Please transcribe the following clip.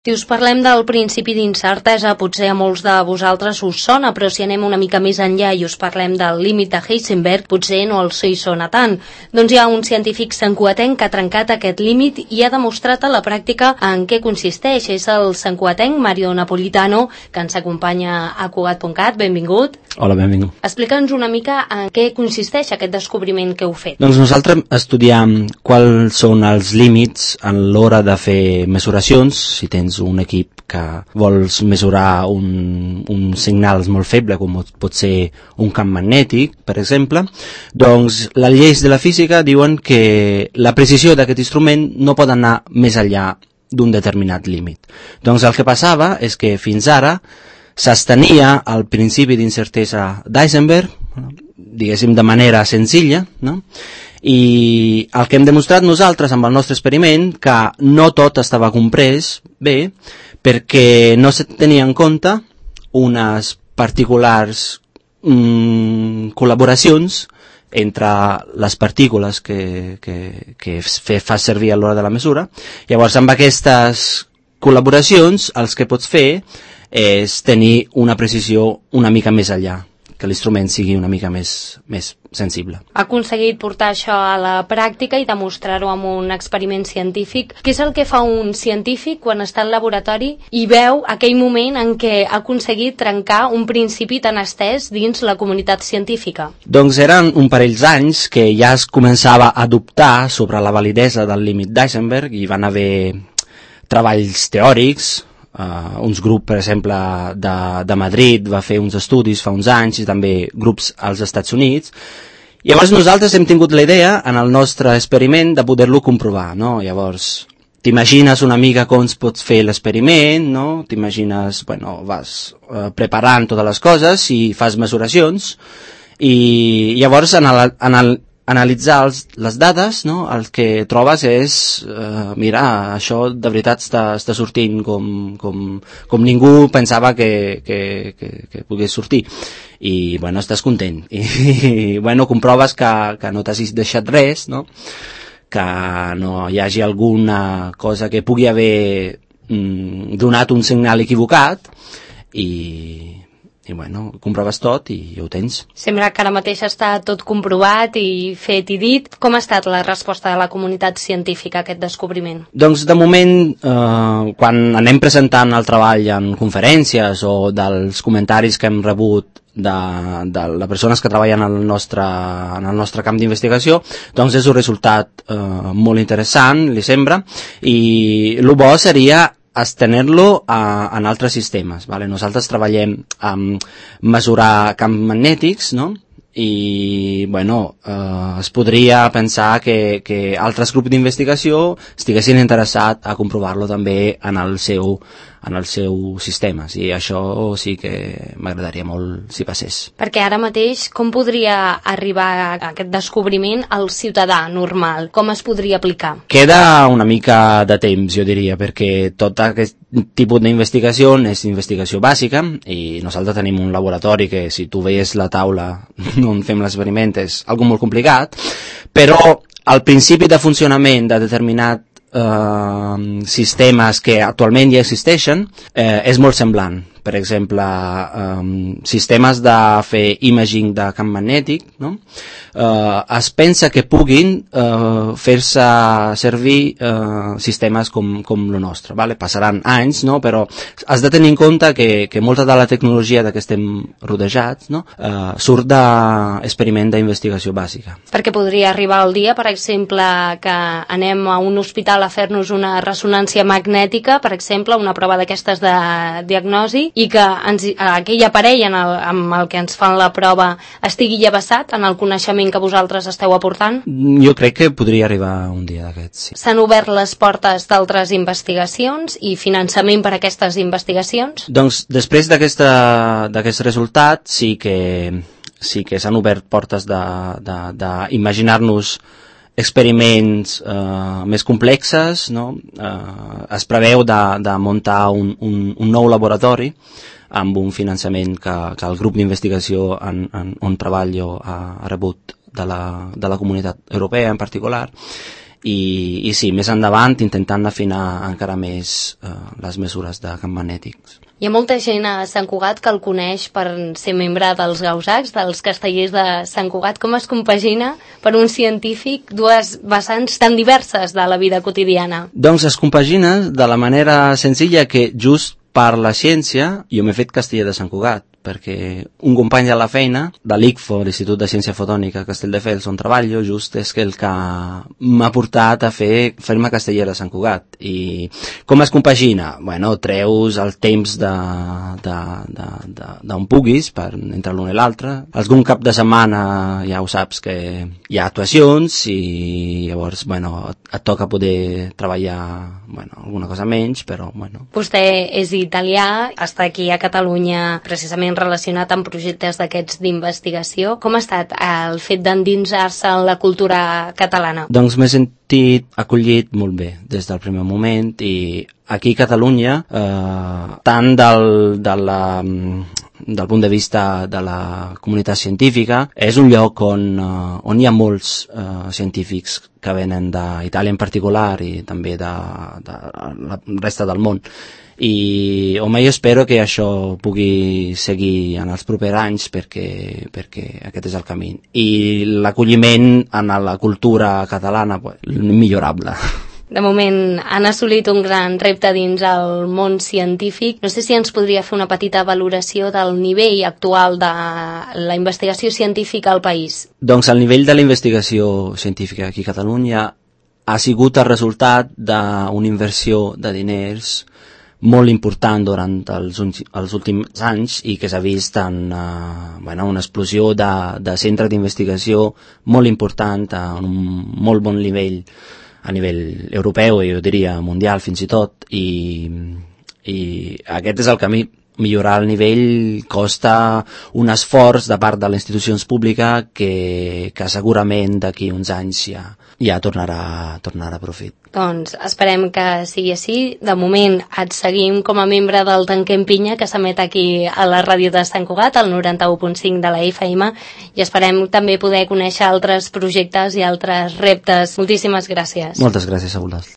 Si us parlem del principi d'incertesa, potser a molts de vosaltres us sona, però si anem una mica més enllà i us parlem del límit de Heisenberg, potser no els hi sona tant. Doncs hi ha un científic santcugatenc que ha trencat aquest límit i ha demostrat a la pràctica en què consisteix. És el santcugatenc Mario Napolitano, que ens acompanya a Cugat.cat. Benvingut. Hola, benvingut. Explica'ns una mica en què consisteix aquest descobriment que heu fet. Doncs nosaltres estudiem quals són els límits a l'hora de fer mesuracions. Si tens un equip que vols mesurar un signal molt feble, com pot ser un camp magnètic, per exemple, doncs les lleis de la física diuen que la precisió d'aquest instrument no pot anar més enllà d'un determinat límit. Doncs el que passava és que fins ara s'estenia el principi d'incertesa d'Heisenberg, diguéssim de manera senzilla, no? I el que hem demostrat nosaltres amb el nostre experiment que no tot estava comprès bé perquè no se tenia en compte unes particulars col·laboracions entre les partícules que fa servir a l'hora de la mesura. Llavors amb aquestes col·laboracions els que pots fer és tenir una precisió una mica més enllà, que l'instrument sigui una mica més sensible. Ha aconseguit portar això a la pràctica i demostrar-ho amb un experiment científic. Què és el que fa un científic quan està al laboratori i veu aquell moment en què ha aconseguit trencar un principi tan estès dins la comunitat científica? Doncs eren un parell d'anys que ja es començava a dubtar sobre la validesa del límit d'Heisenberg i van haver treballs teòrics. Uns grups, per exemple, de Madrid va fer uns estudis fa uns anys i també grups als Estats Units. Llavors nosaltres hem tingut la idea en el nostre experiment de poder-lo comprovar, no? Llavors t'imagines una mica com pots fer l'experiment, no? T'imagines, vas preparant totes les coses i fas mesuracions i llavors analitzar les dades, no? El que trobes és, mira, això de veritat està sortint com ningú pensava que pogués sortir. I, estàs content. I, comproves que no t'has deixat res, no? Que no hi hagi alguna cosa que pugui haver donat un signal equivocat i comproves tot i ho tens. Sembla que ara mateix està tot comprovat i fet i dit. Com ha estat la resposta de la comunitat científica a aquest descobriment? Doncs de moment, quan anem presentant el treball en conferències o dels comentaris que hem rebut de les persones que treballen en el nostre camp d'investigació, doncs és un resultat molt interessant, li sembla, i el bo seria estendre-lo en altres sistemes. Vale? Nosaltres treballem amb mesurar camps magnètics, no? I es podria pensar que altres grups d'investigació estiguessin interessats a comprovar-lo també en el seu sistema. I això sí que m'agradaria molt si passés. Perquè ara mateix com podria arribar a aquest descobriment al ciutadà normal? Com es podria aplicar? Queda una mica de temps, jo diria, perquè tot aquest tipus d'investigació és investigació bàsica i nosaltres tenim un laboratori que si tu veies la taula on fem l'experiment és algo molt complicat, però el principi de funcionament de determinat sistemes que actualment ja existeixen és molt semblant. Per exemple, sistemes de fer imaging de camp magnètic, no? Es pensa que puguin fer-se servir sistemes com el nostre. Vale? Passaran anys, no? Però has de tenir en compte que molta de la tecnologia de què estem rodejats, no? Surt d'experiment d'investigació bàsica. Perquè podria arribar el dia, per exemple, que anem a un hospital a fer-nos una ressonància magnètica, per exemple, una prova d'aquestes de diagnosi, i que aquell aparell amb el que ens fan la prova estigui ja basat en el coneixement que vosaltres esteu aportant? Jo crec que podria arribar un dia d'aquests, sí. S'han obert les portes d'altres investigacions i finançament per a aquestes investigacions? Doncs després d'aquest resultat sí que s'han obert portes d'imaginar-nos experiments més complexes, no? Es preveu de muntar un nou laboratori amb un finançament que el grup d'investigació on treballo ha rebut de la comunitat europea en particular i sí, més endavant intentant afinar encara més les mesures de camp magnètics. Hi ha molta gent a Sant Cugat que el coneix per ser membre dels Gausacs, dels Castellers de Sant Cugat. Com es compagina per un científic dues vessants tan diverses de la vida quotidiana? Doncs es compagina de la manera senzilla que just per la ciència jo m'he fet Casteller de Sant Cugat, perquè un company de la feina, de l'ICFO, l'Institut de Ciència Fotònica Castelldefels, on treballo, just és que el que m'ha portat a fer-me Casteller de Sant Cugat. I com es compagina? Bueno, treus el temps d'on puguis entre l'un i l'altre. Algun cap de setmana ja ho saps que hi ha actuacions i llavors, bueno, et toca poder treballar, bueno, alguna cosa menys, però, bueno. Vostè és italià, està aquí a Catalunya precisament relacionat amb projectes d'aquests d'investigació. Com ha estat el fet d'endinsar-se en la cultura catalana? Doncs m'he sentit acollit molt bé des del primer moment i aquí a Catalunya, tant del punt de vista de la comunitat científica, és un lloc on hi ha molts científics que venen d'Itàlia en particular i també de la resta del món. I home, jo espero que això pugui seguir en els propers anys perquè aquest és el camí. I l'acolliment en la cultura catalana, millorable. De moment han assolit un gran repte dins el món científic. No sé si ens podria fer una petita valoració del nivell actual de la investigació científica al país. Doncs el nivell de la investigació científica aquí a Catalunya ha sigut el resultat d'una inversió de diners molt important durant els últims anys i que s'ha vist en una explosió de centres d'investigació molt important a un molt bon nivell a nivell europeu i jo diria mundial fins i tot i aquest és el camí. Millorar el nivell costa un esforç de part de les institucions públiques que segurament d'aquí uns anys ja tornarà a profit. Doncs esperem que sigui així. De moment et seguim com a membre del Tanquem Pinya, que s'emet aquí a la ràdio de Sant Cugat, al 91.5 de la FM, i esperem també poder conèixer altres projectes i altres reptes. Moltíssimes gràcies. Moltes gràcies a vosaltres.